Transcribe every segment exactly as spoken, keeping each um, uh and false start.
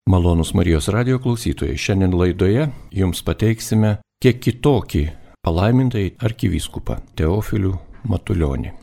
Malonūs Marijos radijo klausytojai, šiandien laidoje jums pateiksime kiek kitokį palaimintai arkivyskupą Teofilių Matulionį.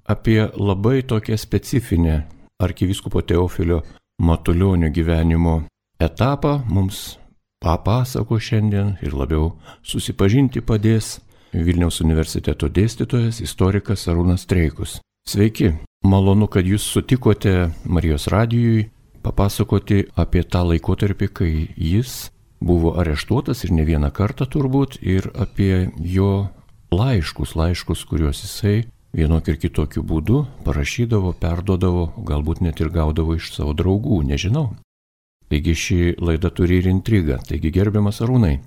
Apie labai tokią specifinę arkivyskupo Teofilio Matulionio gyvenimo etapą mums papasako šiandien ir labiau susipažinti padės Vilniaus universiteto dėstytojas, istorikas Arūnas Streikus. Sveiki, malonu, kad jūs sutikote Marijos radijui papasakoti apie tą laikotarpį, kai jis buvo areštuotas ir ne vieną kartą turbūt, ir apie jo laiškus, laiškus, kuriuos jisai vienokiu ir kitokiu būdu parašydavo, perduodavo, galbūt net ir gaudavo iš savo draugų, nežinau. Taigi ši laida turi ir intrigą. Taigi gerbiamas Arūnai,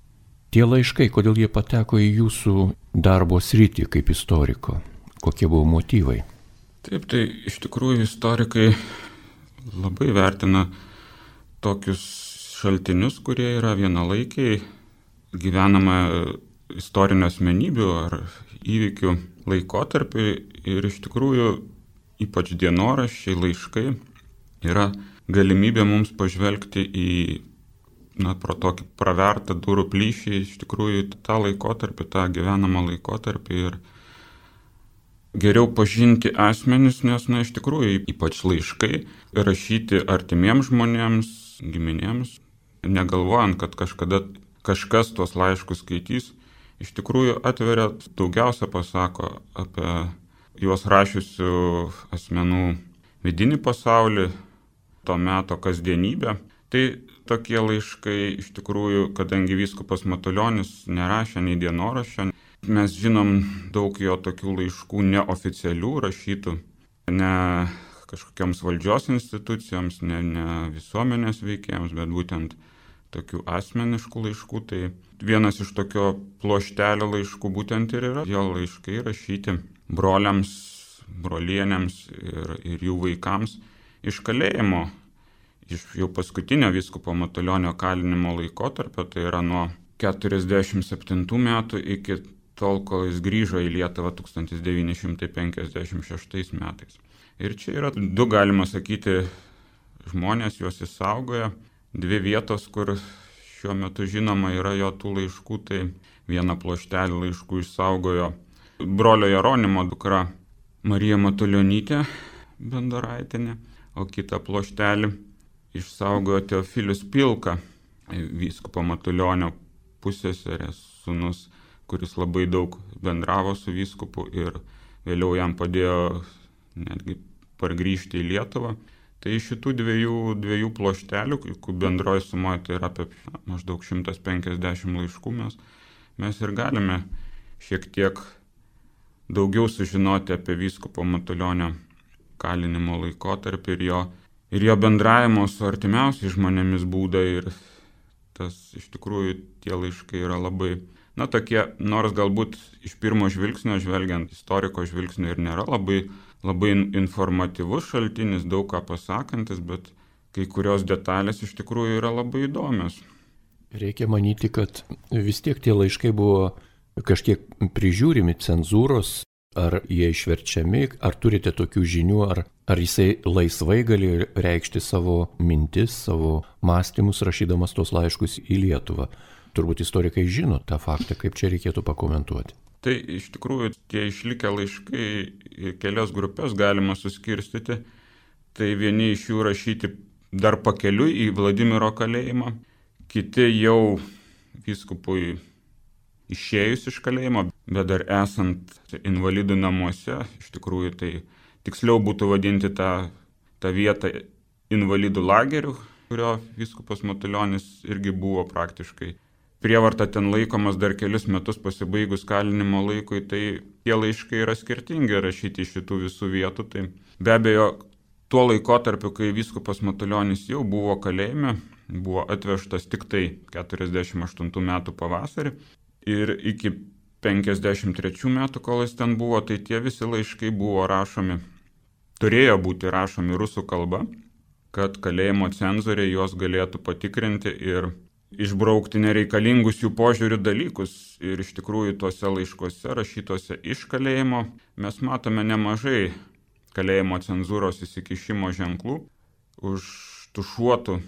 tie laiškai, kodėl jie pateko į jūsų darbo sritį kaip istoriko? Kokie buvo motyvai? Taip, tai iš tikrųjų istorikai labai vertina tokius šaltinius, kurie yra vienalaikiai, gyvenama istorinių asmenybių ar įvykių laikotarpį, ir iš tikrųjų ypač dienoraščiai, laiškai yra galimybė mums pažvelgti į, na, pro tokį pravertą durų plyšį, iš tikrųjų tą laikotarpį, tą gyvenamą laikotarpį ir geriau pažinti asmenis, nes, na, iš tikrųjų, ypač laiškai, rašyti artimiems žmonėms, giminėms, negalvojant, kad kažkada kažkas tuos laiškus skaitys, iš tikrųjų atveria, daugiausia pasako apie juos rašiusių asmenų vidinį pasaulį, to meto kasdienybę. Tai tokie laiškai, iš tikrųjų, kadangi vyskupas Matulionis nerašė nei dienoraščio, mes žinom daug jo tokių laiškų neoficialių rašytų, ne kažkokiams valdžios institucijoms, ne, ne visuomenės veikėjams, bet būtent tokių asmeniškų laiškų. Tai vienas iš tokio pluoštelio laiškų būtent ir yra jo laiškai rašyti broliams, brolienėms ir, ir jų vaikams iš kalėjimo, iš jau paskutinio vyskupo Matulionio kalinimo laikotarpio, tai yra nuo keturiasdešimt septintų metų iki tol, kol jis grįžo į Lietuvą tūkstantis devyni šimtai penkiasdešimt šeštais metais. Ir čia yra du, galima sakyti, žmonės, juos išsaugojo. Dvi vietos, kur šiuo metu žinoma yra jo tų laiškų, tai vieną pluoštelį laiškų išsaugojo brolio Jeronimo dukra Marija Matulionytė Bendoraitienė, o kitą pluoštelį išsaugojo Teofilius Pilka, vyskupo Matulionio pusseserės sūnus, kuris labai daug bendravo su vyskupu ir vėliau jam padėjo netgi pargrįžti į Lietuvą. Tai iš šitų dviejų, dviejų ploštelių, bendroji sumoje tai yra apie maždaug šimtas penkiasdešimt laiškų, mes, mes ir galime šiek tiek daugiau sužinoti apie vyskupo Matulionio kalinimo laikotarpį ir jo, ir jo bendravimo su artimiausiais žmonėmis būdą. Ir tas iš tikrųjų tie laiškai yra labai, na, tokie, nors galbūt iš pirmo žvilgsnio žvelgiant, istoriko žvilgsnio ir nėra labai, labai informatyvus šaltinis, daug ką pasakantis, bet kai kurios detalės iš tikrųjų yra labai įdomios. Reikia manyti, kad vis tiek tie laiškai buvo kažkiek prižiūrimi cenzūros, ar jie išverčiami, ar turite tokių žinių, ar, ar jisai laisvai gali reikšti savo mintis, savo mąstymus, rašydamas tos laiškus į Lietuvą. Turbūt istorikai žino tą faktą, kaip čia reikėtų pakomentuoti. Tai iš tikrųjų tie išlikę laiškai į kelias grupės galima suskirstyti. Tai vieni iš jų rašyti dar pakeliui į Vladimiro kalėjimą, kiti jau vyskupui išėjus iš kalėjimo, bet dar esant invalidų namuose, iš tikrųjų tai tiksliau būtų vadinti tą, tą vietą invalidų lagerių, kurio vyskupas Matulionis irgi buvo praktiškai prievarta ten laikomas dar kelius metus pasibaigus kalinimo laikui. Tai tie laiškai yra skirtingi rašyti iš šitų visų vietų. Tai be abejo, tuo laikotarpiu, kai vyskupas Matulionis jau buvo kalėjime, buvo atvežtas tik tai keturiasdešimt aštuntų metų pavasarį ir iki penkiasdešimt trečių metų, kol jis ten buvo, tai tie visi laiškai buvo rašomi, turėjo būti rašomi rusų kalba, kad kalėjimo cenzoriai juos galėtų patikrinti ir išbraukti nereikalingus jų požiūrių dalykus. Ir iš tikrųjų tuose laiškuose rašytuose iš kalėjimo mes matome nemažai kalėjimo cenzūros įsikišimo ženklų, užtušuotų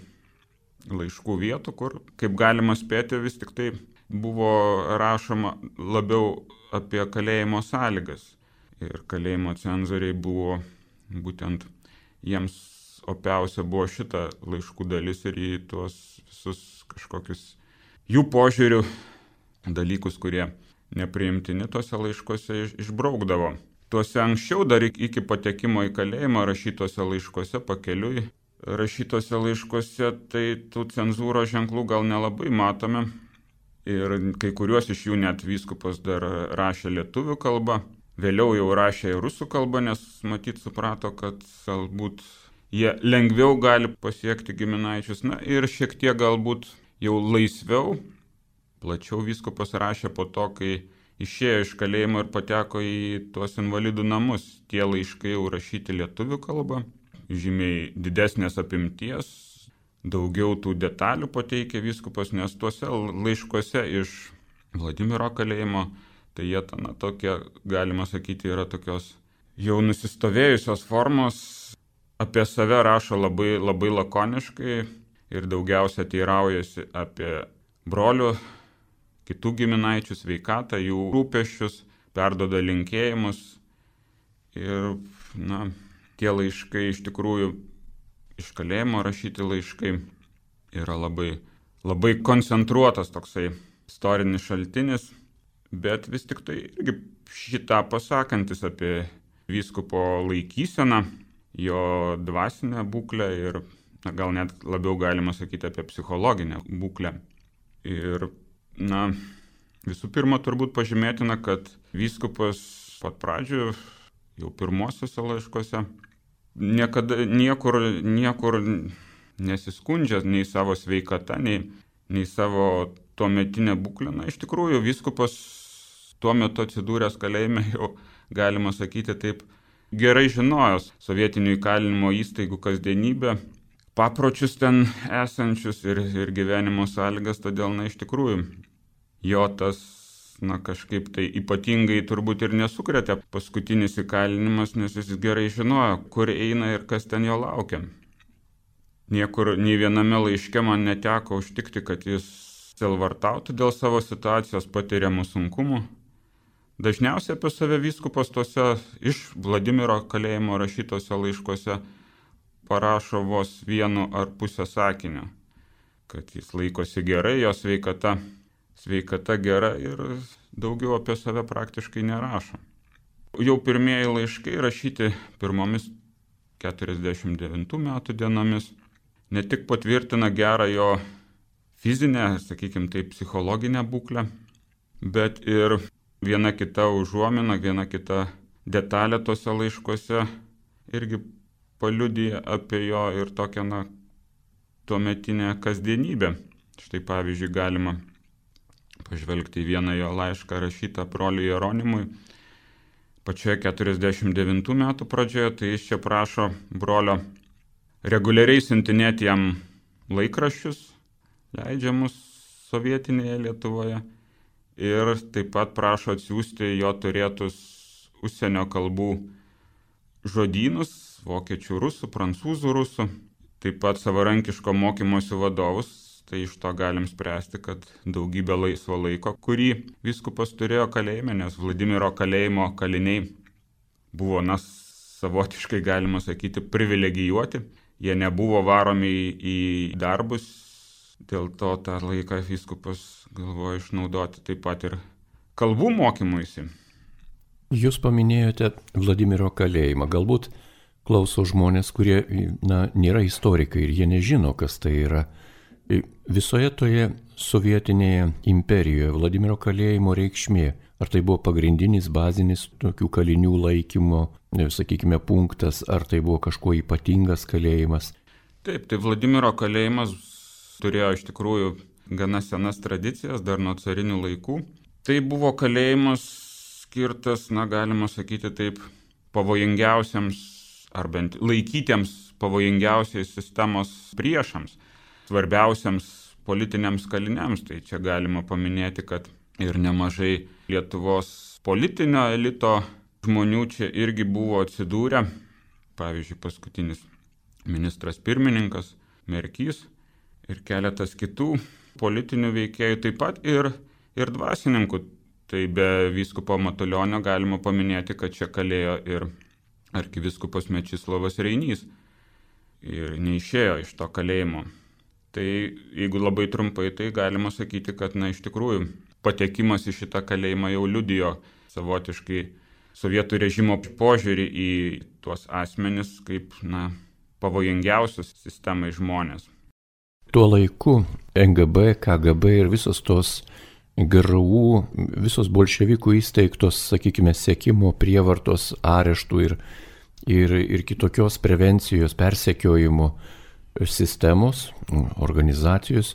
laiškų vietų, kur, kaip galima spėti, vis tik tai buvo rašoma labiau apie kalėjimo sąlygas. Ir kalėjimo cenzoriai buvo būtent, jiems opiausia buvo šita laiškų dalis ir į tuos visus kažkokius jų požiūrių dalykus, kurie nepriimtini tuose laiškuose išbraukdavo. Tuose anksčiau, dar iki patekimo į kalėjimą, rašytose laiškuose pakeliui, rašytose laiškuose, tai tų cenzūros ženklų gal nelabai matome. Ir kai kuriuos iš jų net vyskupas dar rašė lietuvių kalba. Vėliau jau rašė ir rusų kalba, nes matyt suprato, kad galbūt jie lengviau gali pasiekti giminaičius. Na ir šiek tiek galbūt jau laisviau, plačiau vyskupas rašė po to, kai išėjo iš kalėjimo ir pateko į tuos invalidų namus. Tie laiškai jau rašyti lietuvių kalba, žymiai didesnės apimties, daugiau tų detalių pateikė vyskupas, nes tuose laiškuose iš Vladimiro kalėjimo, tai jie, na, tokie, galima sakyti, yra tokios jau nusistovėjusios formos, apie save rašo labai, labai lakoniškai ir daugiausia teiraujasi apie brolių, kitų giminaičių sveikatą, jų rūpesčius, perduoda linkėjimus. Ir, na, tie laiškai iš tikrųjų iš kalėjimo rašyti laiškai yra labai, labai koncentruotas toksai istorinis šaltinis, bet vis tik tai irgi šitą pasakantis apie vyskupo laikyseną, jo dvasinę būklę ir, na, gal net labiau galima sakyti apie psichologinę būklę. Ir na, visų pirma, turbūt pažymėtina, kad vyskupas pat pradžių, jau pirmosiuose laiškuose, niekada niekur, niekur nesiskundžia nei savo sveikata, nei, nei savo tuometinę būklę. Na, iš tikrųjų, vyskupas tuo metu atsidūręs kalėjime jau, galima sakyti taip, gerai žinojęs sovietinių įkalinimo įstaigų kasdienybę, papročius ten esančius ir, ir gyvenimo sąlygas, todėl, na, iš tikrųjų, jo tas, na, kažkaip tai ypatingai turbūt ir nesukrėtė paskutinis įkalinimas, nes jis gerai žinojo, kur eina ir kas ten jo laukia. Niekur, nei viename laiške man neteko užtikti, kad jis selvartautų dėl savo situacijos patiriamų sunkumų. Dažniausiai apie save vyskupas tose iš Vladimiro kalėjimo rašytose laiškuose parašo vos vienu ar pusę sakinio, kad jis laikosi gerai, jo sveikata, sveikata gera ir daugiau apie save praktiškai nerašo. Jau pirmieji laiškai rašyti pirmomis keturiasdešimt devintų metų dienomis ne tik patvirtina gerą jo fizinę, sakykime taip, psichologinę būklę, bet ir viena kita užuomina, viena kita detalė tose laiškuose irgi paliudija apie jo ir tokią, na, tuometinę kasdienybę. Štai pavyzdžiui, galima pažvelgti į vieną jo laišką rašytą broliui Jeronimui. Pačioje keturiasdešimt devintų metų pradžioje, tai jis čia prašo brolio reguliariai siuntinėti jam laikraščius, leidžiamus sovietinėje Lietuvoje, ir taip pat prašo atsiųsti jo turėtus užsienio kalbų žodynus, vokiečių, rusų, prancūzų, rusų, taip pat savarankiško mokymosi vadovus. Tai iš to galim spręsti, kad daugybė laisvo laiko, kurį vyskupas turėjo kalėjime, nes Vladimiro kalėjimo kaliniai buvo, na, savotiškai galima sakyti, privilegijuoti. Jie nebuvo varomi į darbus, dėl to tą laiką vyskupas galvojo išnaudoti taip pat ir kalbų mokymuisi. Jūs paminėjote Vladimiro kalėjimą. Galbūt klauso žmonės, kurie, na, nėra istorikai ir jie nežino, kas tai yra. Visoje toje sovietinėje imperijoje Vladimiro kalėjimo reikšmė, ar tai buvo pagrindinis, bazinis tokių kalinių laikymo, sakykime, punktas, ar tai buvo kažkuo ypatingas kalėjimas? Taip, tai Vladimiro kalėjimas turėjo iš tikrųjų gana senas tradicijas, dar nuo carinių laikų. Tai buvo kalėjimas skirtas, na, galima sakyti taip, pavojingiausiams, ar bent laikytiems pavojingiausiais sistemos priešams, svarbiausiams politiniams kaliniams. Tai čia galima paminėti, kad ir nemažai Lietuvos politinio elito žmonių čia irgi buvo atsidūrę. Pavyzdžiui, paskutinis ministras pirmininkas Merkys ir keletas kitų politinių veikėjų, taip pat ir, ir dvasininkų. Tai be vyskupo Matulionio galima paminėti, kad čia kalėjo ir arkivyskupas Mečislovas Reinys ir neišėjo iš to kalėjimo. Tai jeigu labai trumpai, tai galima sakyti, kad na, iš tikrųjų patekimas į šitą kalėjimą jau liudijo savotiškai sovietų režimo požiūrį į tuos asmenis kaip na, pavojingiausius sistemai žmonės. Tuo laiku N G B, K G B ir visos tos G R U, visos bolševikų įsteigtos, sakykime, sekimo, prievartos, areštų ir, ir, ir kitokios prevencijos, persekiojimo sistemos, organizacijos,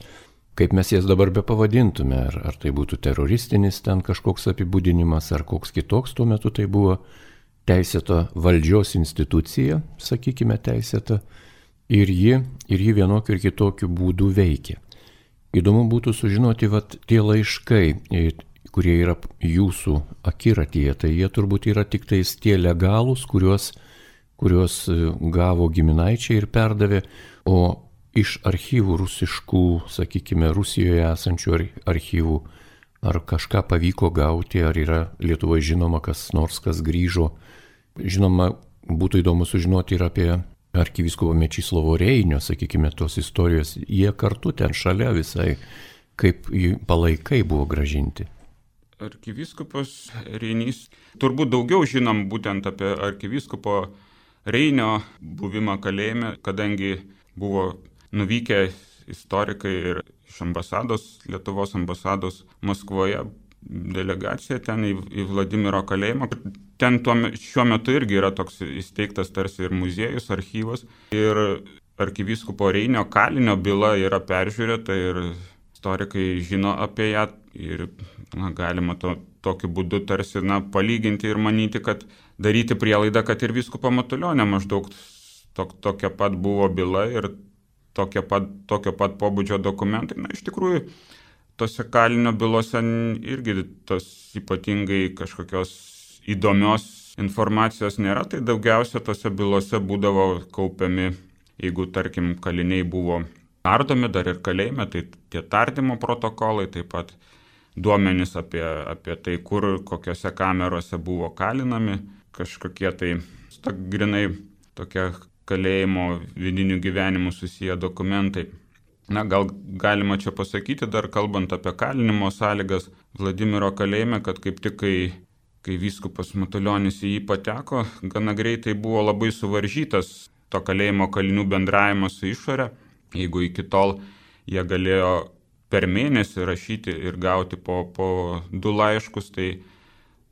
kaip mes jas dabar be pavadintume, ar, ar tai būtų teroristinis ten kažkoks apibūdinimas, ar koks kitoks, tuo metu tai buvo teisėta valdžios institucija, sakykime, teisėta, ir ji, ir ji vienokiu ir kitokiu būdu veikia. Įdomu būtų sužinoti, vat tie laiškai, kurie yra jūsų akiratyje, tai jie turbūt yra tik tais tie legalūs, kuriuos, kuriuos gavo giminaičiai ir perdavė, o iš archyvų rusiškų, sakykime, Rusijoje esančių archyvų, ar kažką pavyko gauti, ar yra Lietuvoje žinoma kas nors, kas grįžo. Žinoma, būtų įdomu sužinoti ir apie arkivyskupo Mečislovo Reinio, sakykime, tos istorijos, jie kartu ten šalia visai, kaip palaikai buvo gražinti. Arkivyskupas Reinys, turbūt daugiau žinom būtent apie arkivyskupo Reinio buvimą kalėjime, kadangi buvo nuvykę istorikai ir iš ambasados, Lietuvos ambasados Maskvoje, delegacija ten į, į Vladimiro kalėjimą. Ten tuo, šiuo metu irgi yra toks įsteigtas tarsi ir muziejus, archyvas. Ir arkivyskupo Reinio kalinio byla yra peržiūrėta ir istorikai žino apie ją. Ir na, galima to, tokiu būdu tarsi na, palyginti ir manyti, kad daryti prielaidą, kad ir vyskupo Matulionio maždaug to, tokia pat buvo byla ir tokia pat, tokio pat pobūdžio dokumentai. Na, iš tikrųjų, tose kalinio bylose irgi tos ypatingai kažkokios įdomios informacijos nėra, tai daugiausia tose bylose būdavo kaupiami, jeigu tarkim kaliniai buvo tardomi dar ir kalėjime, tai tie tardymo protokolai, taip pat duomenys apie, apie tai, kur, kokiose kamerose buvo kalinami, kažkokie tai grinai tokie kalėjimo vidinių gyvenimų susiję dokumentai. Na, gal galima čia pasakyti, dar kalbant apie kalinimo sąlygas Vladimiro kalėjime, kad kaip tik, kai, kai vyskupas Matulionis į jį pateko, gana greitai buvo labai suvaržytas to kalėjimo kalinių bendravimas su išore. Jeigu iki tol jie galėjo per mėnesį rašyti ir gauti po, po du laiškus, tai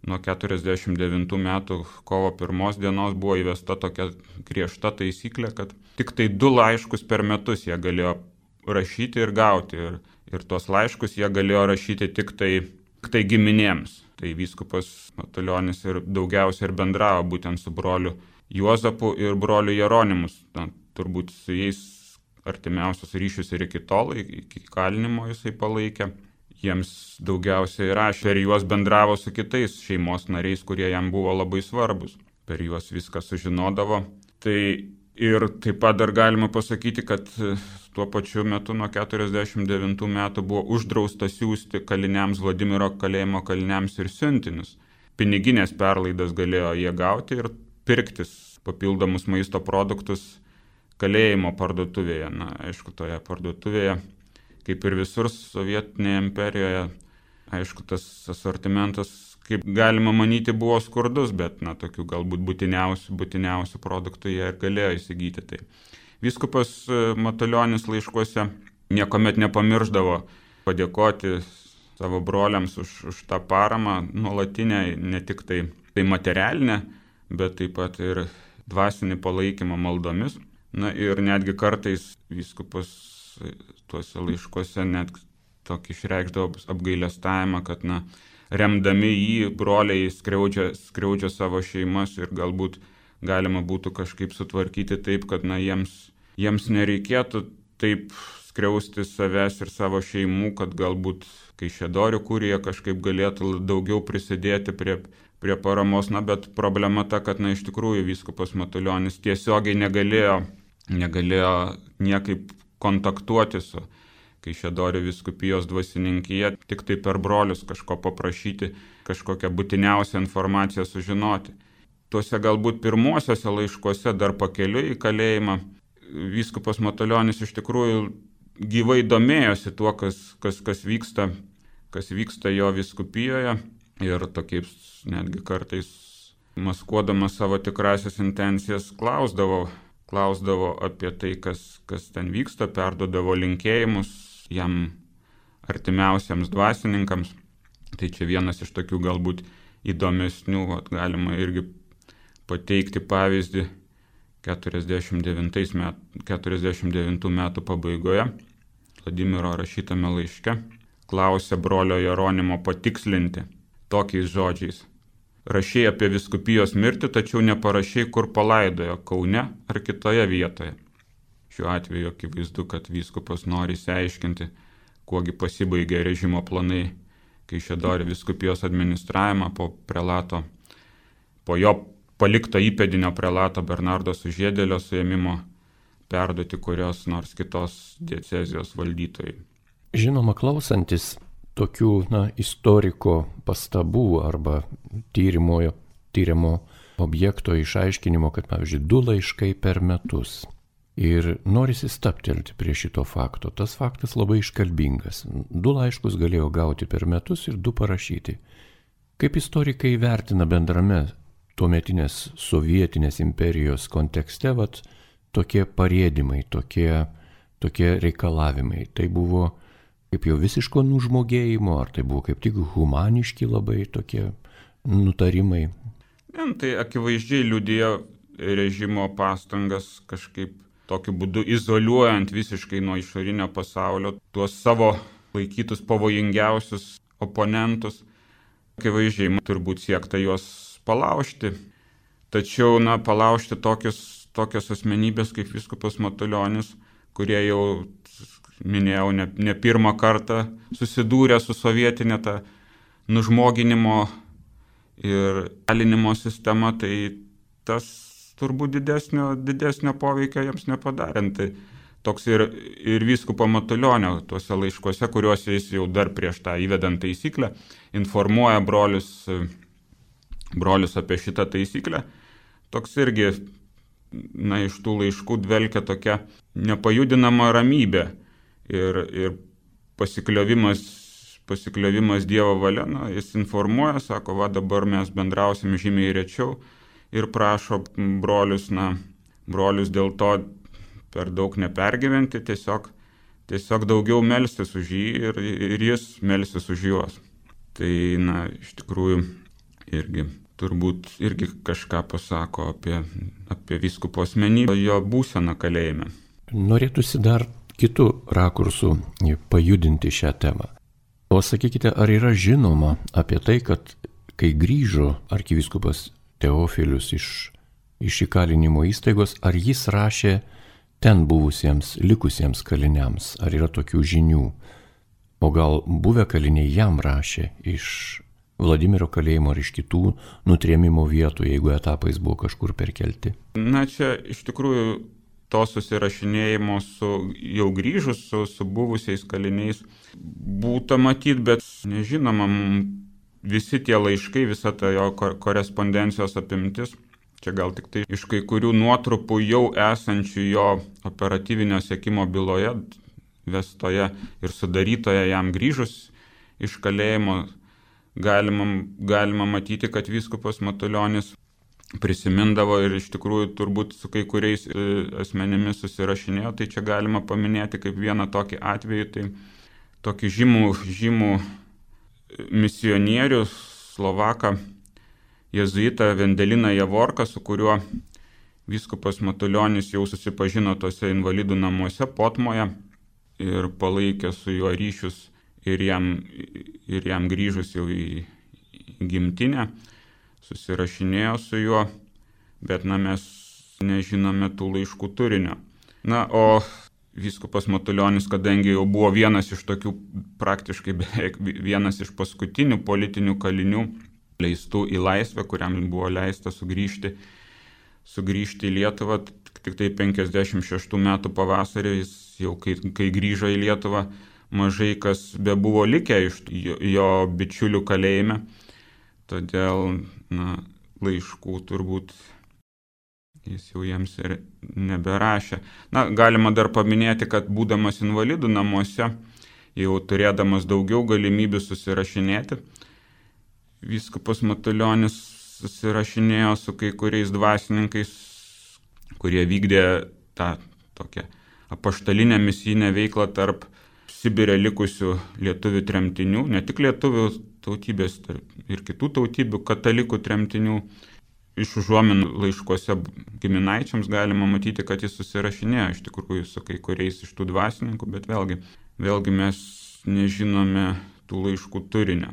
nuo keturiasdešimt devintų metų kovo pirmos dienos buvo įvesta tokia griežta taisyklė, kad tik tai du laiškus per metus jie galėjo rašyti ir gauti. Ir, ir tuos laiškus jie galėjo rašyti tik tai, tik tai giminėms. Tai vyskupas Matulionis ir daugiausia ir bendravo būtent su broliu Juozapu ir broliu Jeronimus. Na, turbūt su jais artimiausius ryšius ir iki tol, iki kalinimo jisai palaikė. Jiems daugiausiai rašė, per juos bendravo su kitais šeimos nariais, kurie jam buvo labai svarbus. Per juos viską sužinodavo. Tai ir taip pat dar galima pasakyti, kad tuo pačiu metu nuo keturiasdešimt devintų metų buvo uždrausta siųsti kaliniams, Vladimiro kalėjimo kaliniams ir siuntinius. Piniginės perlaidas galėjo jie gauti ir pirktis papildomus maisto produktus kalėjimo parduotuvėje. Na, aišku, toje parduotuvėje, kaip ir visur sovietinėje imperijoje, aišku, tas asortimentas, kaip galima manyti, buvo skurdus, bet na, tokių galbūt būtiniausių, būtiniausių produktų jie ir galėjo įsigyti. Tai vyskupas Matulionis laiškuose niekuomet nepamirždavo padėkoti savo broliams už, už tą paramą nuolatinę, ne tik tai, tai materialinę, bet taip pat ir dvasinį palaikymą maldomis. Na ir netgi kartais vyskupas tuose laiškuose net tokį išreikšdavo apgailestavimą, kad na, remdami jį broliai skriaudžia, skriaudžia savo šeimas ir galbūt galima būtų kažkaip sutvarkyti taip, kad na, jiems, jiems nereikėtų taip skriausti savęs ir savo šeimų, kad galbūt Kaišiadorių kurija kažkaip galėtų daugiau prisidėti prie, prie paramos. Na, bet problema ta, kad na, iš tikrųjų vyskupas Matulionis tiesiogiai negalėjo, negalėjo niekaip kontaktuoti su Kaišiadorių vyskupijos dvasininkija, tik tai per brolius kažko paprašyti, kažkokią būtiniausią informaciją sužinoti. Tuose galbūt pirmuosiuose laiškuose dar pakeliui į kalėjimą vyskupas Matulionis iš tikrųjų gyvai domėjosi tuo, kas, kas, kas, vyksta, kas vyksta jo vyskupijoje ir tokiais netgi kartais maskuodamas savo tikrasias intencijas klausdavo, klausdavo apie tai, kas, kas ten vyksta, perduodavo linkėjimus jam artimiausiams dvasininkams. Tai čia vienas iš tokių galbūt įdomesnių, vat, galima irgi pateikti pavyzdį keturiasdešimt devintų metų pabaigoje Vladimiro rašytame laiške klausė brolio Jeronimo patikslinti tokiais žodžiais. Rašei apie vyskupijos mirtį, tačiau neparašei, kur palaidojo, Kaune ar kitoje vietoje. Šiuo atveju akivaizdu, kad vyskupas nori išsiaiškinti, kuogi pasibaigė režimo planai Kaišiadorių vyskupijos administravimą po prelato, po jo palikto įpėdinio prelato Bernardo Sužiedėlio suėmimo perduoti kurios nors kitos diecezijos valdytojai. Žinoma, klausantis tokių na, istoriko pastabų arba tyrimo, tyrimo objekto išaiškinimo, kad, pavyzdžiui, du laiškai per metus. Ir norisi staptelti prie šito fakto. Tas faktas labai iškalbingas. Du laiškus galėjo gauti per metus ir du parašyti. Kaip istorikai vertina bendrame tuometinės sovietinės imperijos kontekste vat, tokie parėdimai, tokie, tokie reikalavimai. Tai buvo kaip jau visiško nužmogėjimo, ar tai buvo kaip tik humaniški labai tokie nutarimai? Ne, tai akivaizdžiai liudija režimo pastangas kažkaip tokiu būdu izoliuojant visiškai nuo išorinio pasaulio tuos savo laikytus pavojingiausius oponentus. Akivaizdžiai turbūt siekta juos palaužti. Tačiau, na, palaužti tokius, tokios asmenybės kaip vyskupas Matulionis, kurie jau, minėjau, ne, ne pirmą kartą susidūrė su sovietinė ta nužmoginimo ir kalinimo sistema, tai tas turbūt didesnio, didesnio poveikio jiems nepadarė. Tai toks ir, ir vyskupo Matulionio tuose laiškuose, kuriuose jis jau dar prieš tą įvedant taisyklę informuoja brolius, brolius apie šitą taisyklę. Toks irgi, na, iš tų laiškų dvelkia tokia nepajudinama ramybė ir, ir pasikliovimas, pasikliovimas Dievo valia. Na, jis informuoja, sako, va dabar mes bendrausim žymiai rečiau ir prašo brolius, na, brolius dėl to per daug nepergyventi, tiesiog, tiesiog daugiau melstis už jį ir, ir jis melstis už juos. Tai, na, iš tikrųjų irgi turbūt irgi kažką pasako apie, apie vyskupo asmenybę, jo būseną kalėjime. Norėtųsi dar kitų rakursų pajudinti šią temą. O sakykite, ar yra žinoma apie tai, kad kai grįžo arkivyskupas Teofilius iš, iš įkalinimo įstaigos, ar jis rašė ten buvusiems, likusiems kaliniams, ar yra tokių žinių? O gal buvę kaliniai jam rašė iš Vladimiro kalėjimo ar iš kitų nutrėmimo vietų, jeigu etapais buvo kažkur perkelti? Na, čia iš tikrųjų to susirašinėjimo su jau grįžus, su, su buvusiais kaliniais būta matyti, bet nežinoma, visi tie laiškai, visa ta jo korespondencijos apimtis, čia gal tik tai iš kai kurių nuotrupų jau esančių jo operatyvinio sekimo byloje, vestoje ir sudarytoje jam grįžus iš kalėjimo, galima, galima matyti, kad vyskupas Matulionis prisimindavo ir iš tikrųjų turbūt su kai kuriais asmenimis susirašinėjo. Tai čia galima paminėti kaip vieną tokį atvejį, tai tokį žymų, žymų misionierių slovaką jėzuitą Vendeliną Javorką, su kuriuo vyskupas Matulionis jau susipažino tose invalidų namuose Potmoje ir palaikė su juo ryšius ir jam, ir jam grįžus jau į, į gimtinę, susirašinėjo su juo, bet na, mes nežinome tų laiškų turinio. Na, o vyskupas Matulionis, kadangi jau buvo vienas iš tokių praktiškai beveik vienas iš paskutinių politinių kalinių leistų į laisvę, kuriam buvo leista sugrįžti, sugrįžti į Lietuvą, tik tai penkiasdešimt šeštų metų pavasarį jis jau kai, kai grįžo į Lietuvą, mažai kas be buvo likę iš jo, jo bičiulių kalėjime. Todėl, na, laiškų turbūt jis jau jiems ir neberašė. Na, galima dar paminėti, kad būdamas invalidų namuose, jau turėdamas daugiau galimybių susirašinėti, vyskupas Matulionis susirašinėjo su kai kuriais dvasininkais, kurie vykdė tą tokią apaštalinę misijinę veiklą tarp Sibire likusių lietuvių tremtinių, ne tik lietuvių tautybės ir kitų tautybių katalikų tremtinių. Iš užuominų laiškuose giminaičiams galima matyti, kad jis susirašinėjo iš tikrųjų su kai kuriais iš tų dvasininkų, bet vėlgi, vėlgi mes nežinome tų laiškų turinio.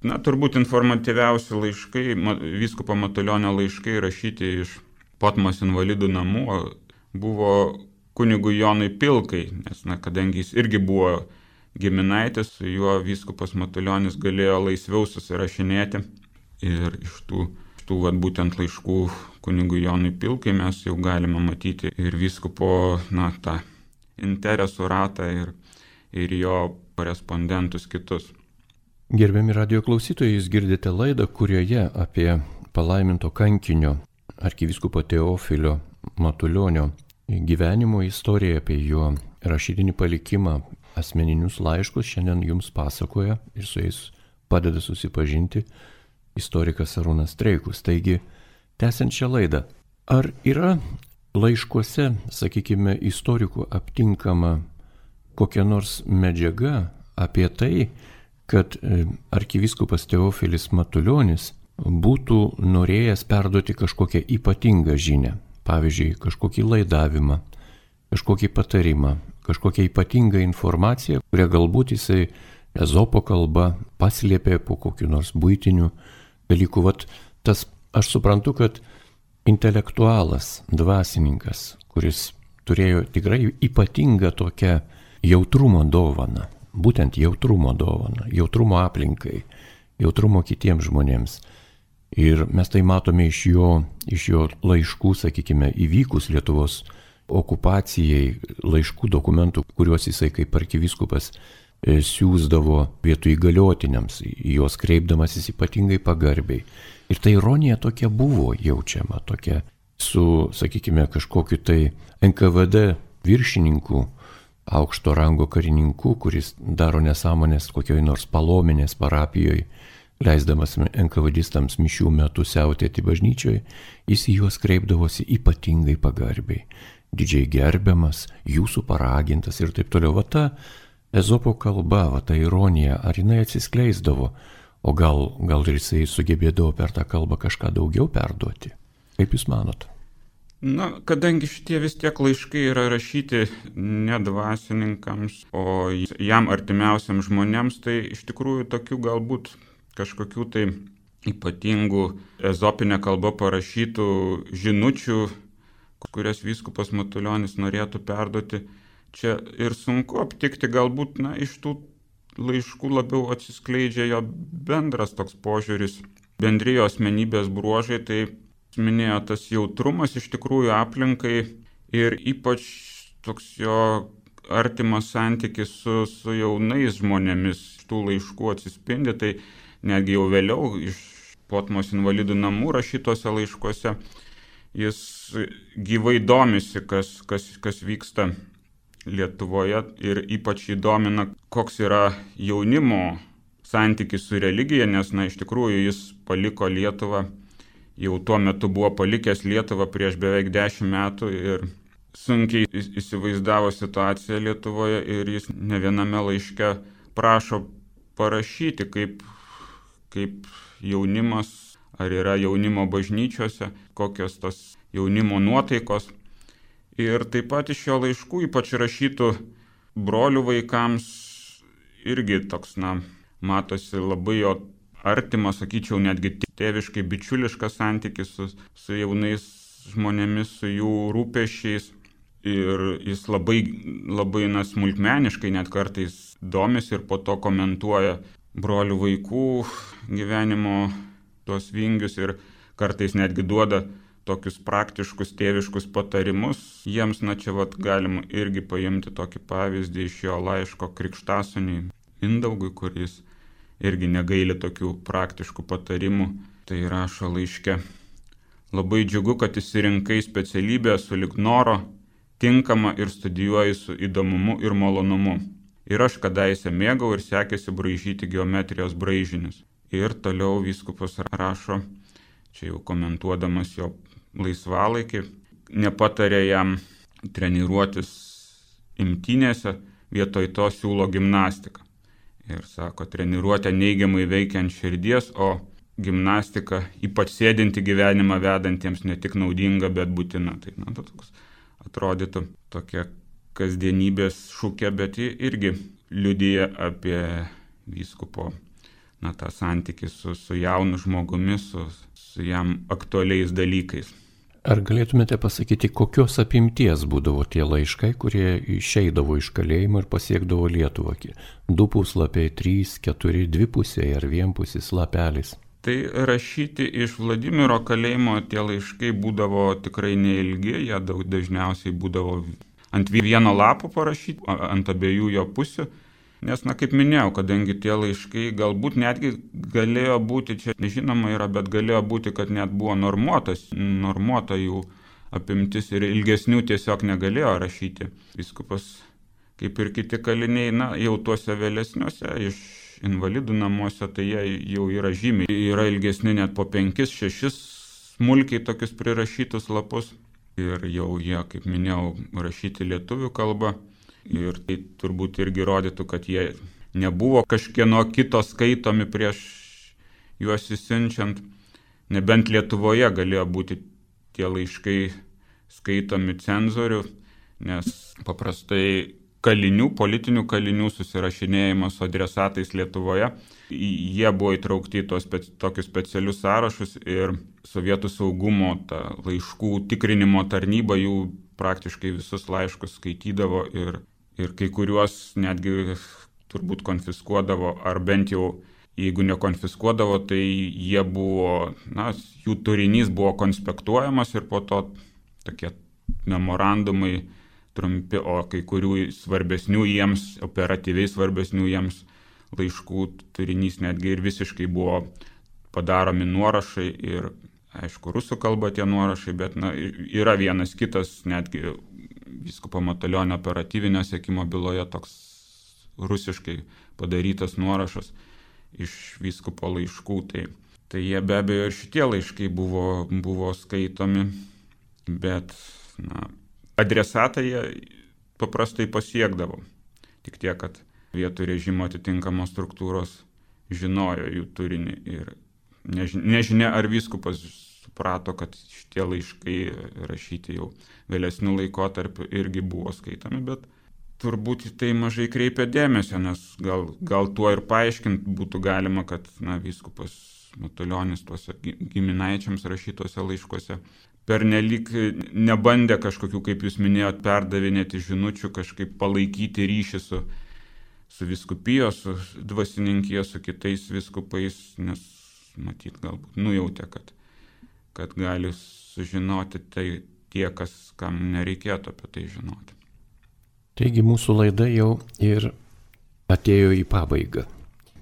Na, turbūt informatyviausi laiškai, vyskupo Matulionio laiškai rašyti iš Potmos invalidų namų buvo kunigui Jonui Pilkai, nes, na, kadangi jis irgi buvo giminaitis, su juo vyskupas Matulionis galėjo laisviau susirašinėti. Ir iš tų, tų vat, būtent laiškų kunigui Jonui Pilkai mes jau galime matyti ir vyskupo, na, tą interesų ratą ir, ir jo korespondentus kitus. Gerbiami radijo klausytojai, jūs girdite laidą, kurioje apie palaiminto kankinio arkivyskupo Teofilio Matulionio gyvenimo istoriją, apie jo rašytinį palikimą, asmeninius laiškus šiandien jums pasakoja ir su jais padeda susipažinti istorikas Arūnas Streikus. Taigi, tęsiant šią laidą, ar yra laiškuose, sakykime, istorikų aptinkama kokia nors medžiaga apie tai, kad arkivyskupas Teofilis Matulionis būtų norėjęs perduoti kažkokią ypatingą žinią, pavyzdžiui, kažkokį laidavimą, kažkokį patarimą, kažkokią ypatingą informaciją, kurią galbūt jisai Ezopo kalba paslėpė po kokiu nors buitiniu dalyku. Vat tas, aš suprantu, kad intelektualas, dvasininkas, kuris turėjo tikrai ypatingą tokią jautrumo dovaną, būtent jautrumo dovaną, jautrumo aplinkai, jautrumo kitiems žmonėms. Ir mes tai matome iš jo, iš jo laiškų, sakykime, įvykus Lietuvos okupacijai, laiškų dokumentų, kuriuos jisai kaip arkivyskupas siūsdavo vietų įgaliotiniams, juos kreipdamasis ypatingai pagarbiai. Ir ta ironija tokia buvo jaučiama, tokia su, sakykime, kažkokiu tai N K V D viršininku, aukšto rango karininku, kuris daro nesąmonės kokioj nors Palominės parapijoje, leisdamas enkavadistams mišių metu siautėti bažnyčioje, jis į juos kreipdavosi ypatingai pagarbiai, didžiai gerbiamas, jūsų paragintas ir taip toliau. Va ta Ezopo kalba, va ta ironija, ar jinai atsiskleisdavo, o gal, gal ir jisai sugebėdavo per tą kalbą kažką daugiau perduoti? Kaip jūs manot? Na, kadangi šitie vis tiek laiškai yra rašyti ne dvasininkams, o jam artimiausiam žmonėms, tai iš tikrųjų tokių galbūt kažkokių tai ypatingų ezopinė kalba parašytų žinučių, kurias vyskupas Matulionis norėtų perduoti, čia ir sunku aptikti. Galbūt, na, iš tų laiškų labiau atsiskleidžia jo bendras toks požiūris, bendrijo asmenybės bruožai, tai minėjo tas jautrumas iš tikrųjų aplinkai ir ypač toks jo artimas santykis su, su jaunais žmonėmis. Tų laiškų atsispindi, tai netgi jau vėliau iš Potmos invalidų namų rašytose laiškuose jis gyvai domisi, kas, kas, kas vyksta Lietuvoje ir ypač įdomina, koks yra jaunimo santykis su religija, nes, na, iš tikrųjų jis paliko Lietuvą, jau tuo metu buvo palikęs Lietuvą prieš beveik dešimt metų ir sunkiai įsivaizdavo situaciją Lietuvoje ir jis ne viename laiške prašo parašyti, kaip, kaip jaunimas, ar yra jaunimo bažnyčiose, kokios tos jaunimo nuotaikos. Ir taip pat iš jo laiškų, ypač rašytų brolių vaikams, irgi toks, na, matosi labai jo artimas, sakyčiau, netgi tėviškai bičiuliškas santykis su, su jaunais žmonėmis, su jų rūpesčiais. Ir jis labai, labai na, smulkmeniškai net kartais domisi ir po to komentuoja brolių vaikų gyvenimo tuos vingius ir kartais netgi duoda tokius praktiškus tėviškus patarimus. Jiems, na čia vat galima irgi paimti tokį pavyzdį iš jo laiško krikštasūniui Mindaugui, kuris irgi negaili tokių praktiškų patarimų. Tai rašo laiške: labai džiugu, kad išsirinkai specialybę sulig noro, tinkama ir studijuoji su įdomumu ir malonumu. Ir aš kadaise mėgau ir sekėsi braižyti geometrijos braižinius. Ir toliau vyskupas rašo, čia jau komentuodamas jo laisvalaikį, nepatarė jam treniruotis imtynėse, vietoj to siūlo gimnastiką. Ir sako, treniruotė neigiamai veikia ant širdies, o gimnastika, ypač sėdinti gyvenimą vedantiems, ne tik naudinga, bet būtina. Tai na, toks atrodytų tokia kasdienybės šūkė, bet ji irgi liudija apie vyskupo na, tą santykį su, su jaunu žmogumi, su, su jam aktualiais dalykais. Ar galėtumėte pasakyti, kokios apimties būdavo tie laiškai, kurie išeidavo iš kalėjimo ir pasiekdavo Lietuvą? Du puslapiai, trys, keturi, dvipusiai ar vienpusis lapelis? Tai rašyti iš Vladimiro kalėjimo tie laiškai būdavo tikrai neilgi, jie daug dažniausiai būdavo ant vieno lapo parašyti, ant abiejų jo pusių. Nes, na, kaip minėjau, kadangi tie laiškai galbūt netgi galėjo būti, čia nežinoma yra, bet galėjo būti, kad net buvo normuotas, normuota jų apimtis ir ilgesnių tiesiog negalėjo rašyti. Vyskupas, kaip ir kiti kaliniai, na, jau tuose vėlesniuose iš invalidų namuose, tai jie jau yra žymiai. Yra ilgesni net po penkis, šešis smulkiai tokius prirašytus lapus. Ir jau jie, kaip minėjau, rašyti lietuvių kalba. Ir tai turbūt irgi rodytų, kad jie nebuvo kažkieno kito skaitomi prieš juos įsiunčiant. Nebent Lietuvoje galėjo būti tie laiškai skaitomi cenzorių, nes paprastai kalinių, politinių kalinių susirašinėjimas su adresatais Lietuvoje, jie buvo įtraukti į tos speci- tokius specialius sąrašus ir Sovietų saugumo ta laiškų tikrinimo tarnyba jų praktiškai visus laiškus skaitydavo ir, ir kai kuriuos netgi turbūt konfiskuodavo, ar bent jau jeigu nekonfiskuodavo, tai jie buvo, na, jų turinys buvo konspektuojamas ir po to tokie memorandumai trumpi, o kai kurių svarbesnių jiems, operatyviai svarbesnių jiems laiškų turinys netgi ir visiškai buvo padaromi nuorašai ir, aišku, rusų kalba tie nuorašai, bet na, yra vienas kitas, netgi vyskupo Matulionio operatyvinio sekimo byloje toks rusiškai padarytas nuorašas iš vyskupo laiškų. Tai, tai jie be abejo ir šitie laiškai buvo, buvo skaitomi, bet na, adresatą jie paprastai pasiekdavo. Tik tiek, kad vietų režimo atitinkamos struktūros žinojo jų turinį ir nežinia, ar vyskupas suprato, kad šitie laiškai rašyti jau vėlesnių laikotarpių irgi buvo skaitomi, bet turbūt tai mažai kreipia dėmesio, nes gal, gal tuo ir paaiškinti būtų galima, kad na, vyskupas Matulionis tuose giminaičiams rašytuose laiškuose pernelyg nebandė kažkokių, kaip jūs minėjot, perdavinėti žinučių, kažkaip palaikyti ryšį su, su vyskupijos, su dvasininkijos, su kitais vyskupais, nes matyt galbūt nujautė, kad, kad gali sužinoti tai tie, kas, kam nereikėtų apie tai žinoti. Taigi mūsų laida jau ir atėjo į pabaigą.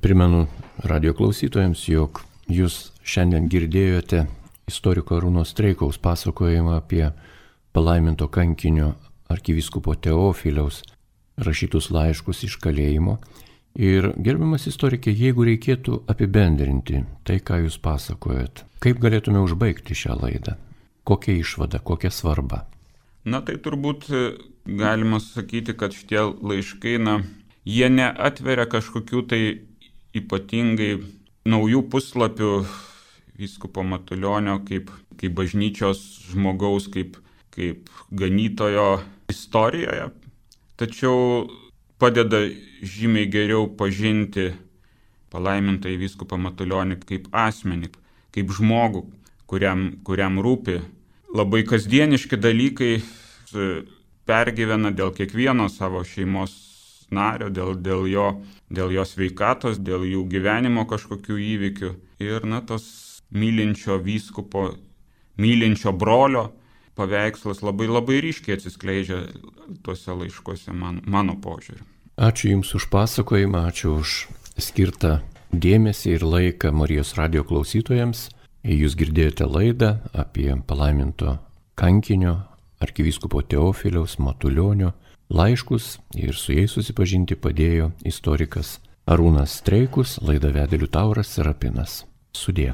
Primenu radio klausytojams, jog jūs šiandien girdėjote istoriko Arūno Streikaus pasakojimą apie palaiminto kankinio arkivyskupo Teofiliaus rašytus laiškus iš kalėjimo. Ir gerbiamas istorikė, jeigu reikėtų apibendrinti tai, ką jūs pasakojat, kaip galėtume užbaigti šią laidą? Kokia išvada, kokia svarba? Na tai turbūt galima sakyti, kad šitie laiškai, na, jie neatveria kažkokių tai ypatingai naujų puslapių vyskupo Matulionio kaip, kaip bažnyčios žmogaus, kaip, kaip ganytojo istorijoje, tačiau padeda žymiai geriau pažinti palaimintąjį vyskupą Matulionį kaip asmenį, kaip žmogų, kuriam, kuriam rūpi labai kasdieniški dalykai, pergyvena dėl kiekvieno savo šeimos nario, dėl, dėl, jo, dėl jo sveikatos, dėl jų gyvenimo kažkokių įvykių. Ir na, tos mylinčio vyskupo mylinčio brolio paveikslas labai labai ryškiai atsiskleidžia tuose laiškuose man, mano požiūriu. Ačiū Jums už pasakojimą, ačiū už skirtą dėmesį ir laiką Marijos radijo klausytojams. Jūs girdėjote laidą apie palaiminto kankinio arkivyskupo Teofiliaus Matulionio laiškus ir su jais susipažinti padėjo istorikas Arūnas Streikus, laidą vedė Liutauras Serapinas. Sudie.